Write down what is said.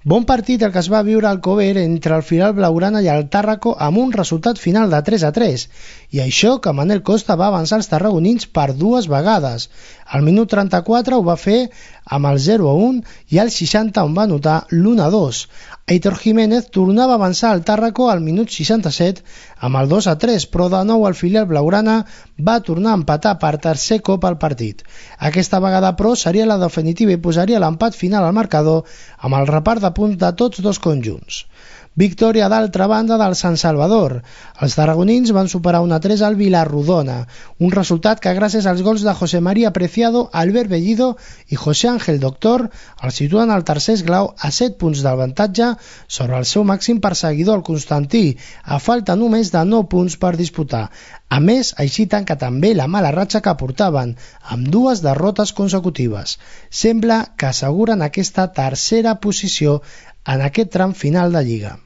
Bon partit el que es va viure al Cover entre el filial blaugrana i el Tàrraco amb un resultat final de 3-3, i això que Manel Costa va avançar els tarragonins per 2 vegades. Al minut 34 ho va fer amb el 0-1 i al 60 on va anotar l'1-2. Aitor Jiménez tornava a avançar al Tàrraco al minut 67 amb el 2-3, però de nou el filial blaugrana va tornar a empatar per tercer cop al partit. Aquesta vegada, però, seria la definitiva i posaria l'empat final al marcador amb el repart de punts de tots dos conjunts. Victòria d'altra banda del Sant Salvador. Els tarragonins van superar 1-3 al Vilarrodona, un resultat que gràcies als gols de José María Preciado, Albert Bellido i José Ángel Doctor el situen al tercer esglau a 7 punts d'avantatge sobre el seu màxim perseguidor, el Constantí, a falta només de 9 punts per disputar. A més, així tanca també la mala ratxa que portaven, amb 2 derrotes consecutives. Sembla que asseguren aquesta tercera posició en aquest tram final de Lliga.